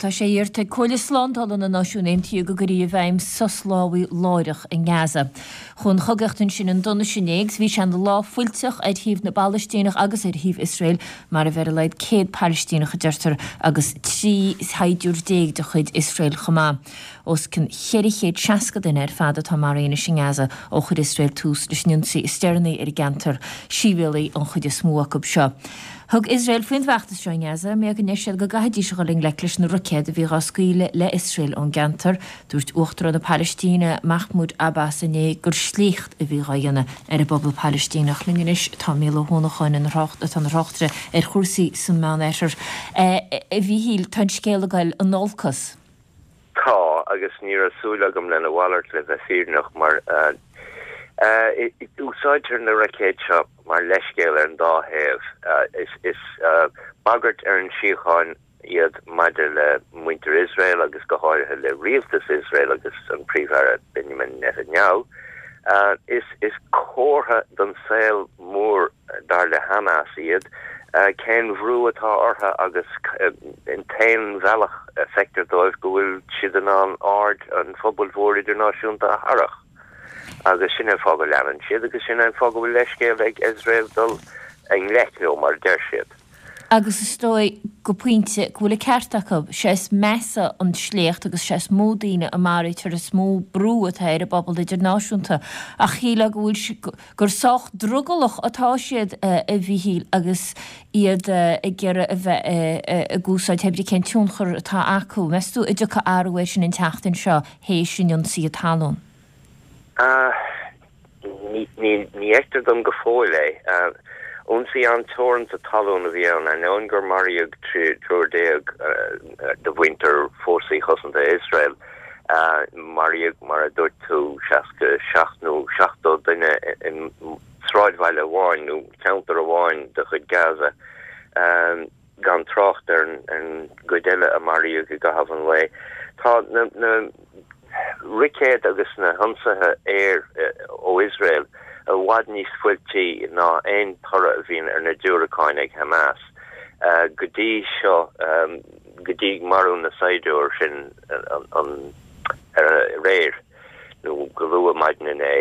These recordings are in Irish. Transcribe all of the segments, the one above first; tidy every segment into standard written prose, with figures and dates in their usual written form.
Tá sé iarrta ag Comhairle Slándála na Náisiún Aontaithe go gcuirfí i bhfeidhm sos lámhaigh láithreach i nGaza. Chuaigh an chogaíocht ansin chun donais inné agus bhí sé ina lá fuilteach ar thaobh na bPalaistíneach agus ar thaobh Iosrael. Maraíodh ar a laghad 100 Palaistíneach a deirtear agus 13 shaighdiúir de chuid Iosrael chomh maith. Os cionn 460 duine ar fad atá maraithe anois i nGaza ó chuir Iosrael tús leis an ionsaí is deireanaí ar an gceantar, sibhialaigh an chuid is mó acu seo. Thug Iosrael faoin bhfeachtas seo i nGaza mar go ndeir siad go gcaithfidís a dhul i ngleic leis na roicéid a bhí dhá scaoileadh le Iosrael ón gceantar. Dúirt Uachtarán na Palaistíne, Mahmoud Abbas inné gur sléacht a bhí dhá dhéanamh ar an bpobal Palaistíneach. Linn anois tá Mícheál Ó hUanacháin atá ina thráchtaire ar chúrsaí san Meánoirthear. A Mhíchíl, tá an scéal ag dul in olcas. Tá, agus ní raibh súil agam lena mhalairt le bheith fírinneach, mar úsáidtear na roicéid seo mar leithscéal ar an dá thaobh. Is bagairt ar an síocháin iad maidir le muintir Iosrael agus go háirithe le rialtas Iosrael agus an Príomh-Aire Benjamin Netanyahu. Is comhartha don saol mór dar le Hamas iad, cén bhrú atá orthu agus an t-aon bhealach a feictear dóibh go bhfuil siad in ann aird an phobail mhóir idirnáisiúnta a tharrac. Agus sin é an fáth go leanann siad agus sin é an fáth go bhfuil leithscéal ag Iosrael dul i ngleic leo, mar a deir siad. Agus is dóigh, go pointe, go bhfuil an ceart acu. Sé is measa an sléacht agus sé is mó daoine a maraítear is mó brú atá ar an bpobal idirnáisiúnta. Ach shílfeá go bhfuil, gur sách drogallach atá siad, a Mhíchíl, agus iad ag iarraidh a bheith ag úsáid pé brí cén tionchar atá acu. Meas tú an dtiocfaidh athrú air sin an tseachtain seo théis an ionsaithe talún? Ní fheictear dom go fóill é. Ionsaí an-teoranta talún a bhí ann, ainneoin gur maraíodh triúr de mhuintir Fórsaí Cosanta Iosrael. Maraíodh, mar a dúirt tú, 67 nó 70 duine i sráidbhaile amháin nó ceantar amháin de chuid Gaza. gan trácht ar an gcuid eile a maraíodh i gcaitheamh an lae. Tá na roicéid agus na hionsaithe aeir ó Iosrael i bhfad níos fuiltí ná aon toradh a bhíonn ar na diúracáin ag Hamas. Go dtí seo, go dtí marú na saighdiúr sin aréir, nó go luath maidin inné,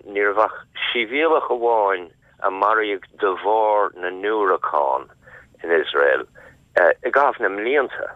ní raibh ach sibhialach amháin a maraíodh de bharr na ndiúracán in Iosrael i gcaitheamh na mblianta.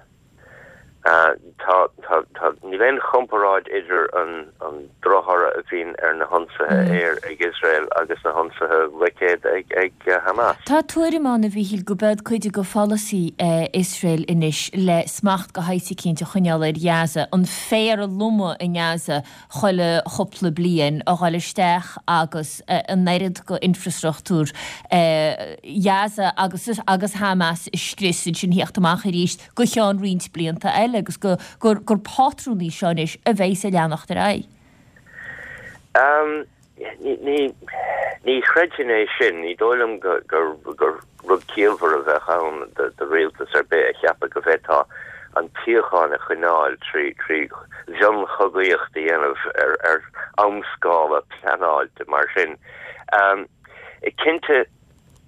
Tá, tá, tá, níl aon chomparáid idir an, an drochthoradh a bhíonn ar na hionsaithe aeir ag Iosrael agus na hionsaithe roicéad ag, ag Hamas. Tá tuairim ann, a Mhíchíl, go b'eod cuid de pholasaí Iosrael anois le smacht de shaghas eicínt a choinneáil ar Ghaza, an féar a lomadh i nGaza chuile chúpla bliain a dhul isteach agus an oiread de infreastruchtúr Ghaza agus agus Hamas a scrios ansin theacht amach arís go ceann roinnt blianta eile agus go gur gur pátrún í seo anois a bheidhs ag leanacht ar aghaidh. Ní ní chreidfinn é sin. Ní dóigh liom gur gur rud ciallmhar a bheadh ann do rialtas ar bith a cheapadh go bhféadfá an tsíocháin a choinneáil trí mhionchogaíocht a dhéanamh ar amscála pleanáilte mar sin. Cinnte,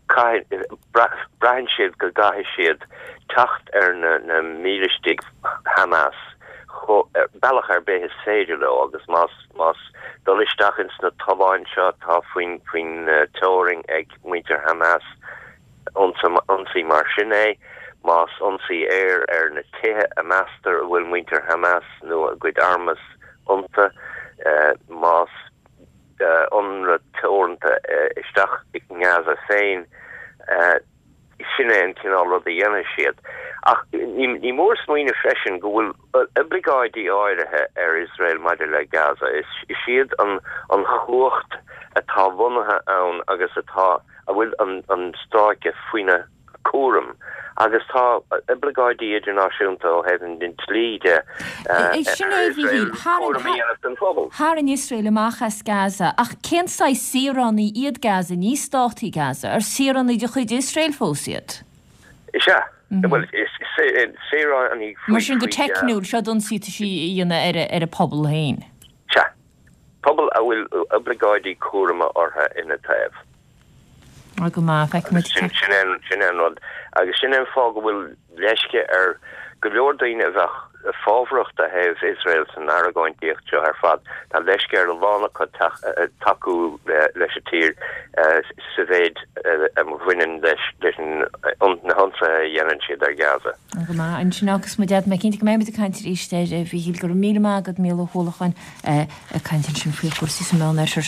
braitheann siad go gcaithfidh siad teacht ar na mílistigh Hamas bealach ar bith is féidir leo agus más más dul isteach ins na tolláin seo atá faoin teorainn ag muintir Hamas, ionsaí mar sin é, más ionsaí aeir ar na tithe a meastar a bhfuil muintir Hamas nó a gcuid armas iontu, más ionradh teoranta isteach i nGaza féin, Sin é an cineál rud a dhéanfaidh siad. Ach ní mór smaoineamh freisin go bhfuil oibleagáidí áirithe ar Iosrael maidir le Gaza. Is iad an chumhacht atá lonnaithe ann agus atá, a bhfuil an stráice faoina cúram agus tá oibleagáidí idirnáisiúnta ó thaobh an dlí de ar Iosrael cúram a dhéanamh den phobal. Tharraing Iosrael amach as Gaza, ach cén saghas saoránaigh iad Gaza? Ní stát í Gaza. Ar saoránaigh de chuid Iosrael fós iad? Is ea. Bhuel, is saoránaigh faoi. Mar sin, go teicniúil, seo ionsaí atá sí a dhéanamh ar a pobal féin. Sea. Pobal a bhfuil oibleagáidí cúraim orthu ina taobh. Go maith, feicfimid. Sin é an rud. Agus sin é an fáth go bhfuil leisce ar. go leor daoine a bheadh fábharach do thaobh Iosrael san argóintíocht seo ar fad. Tá leisce ar a lán acu tacú leis an tír sa mhéid a bhaineann leis na hionsaithe a dhéanann siad ar Ghaza. Go maith ansin agus muid mé cinnte go mbeidh muid ag caint arís air, a Mhíchíl. Go raibh míle maith agat, Mícheál Ó hUallacháin, ag caint ansin faoi chúrsaí sa Mheánoirthear.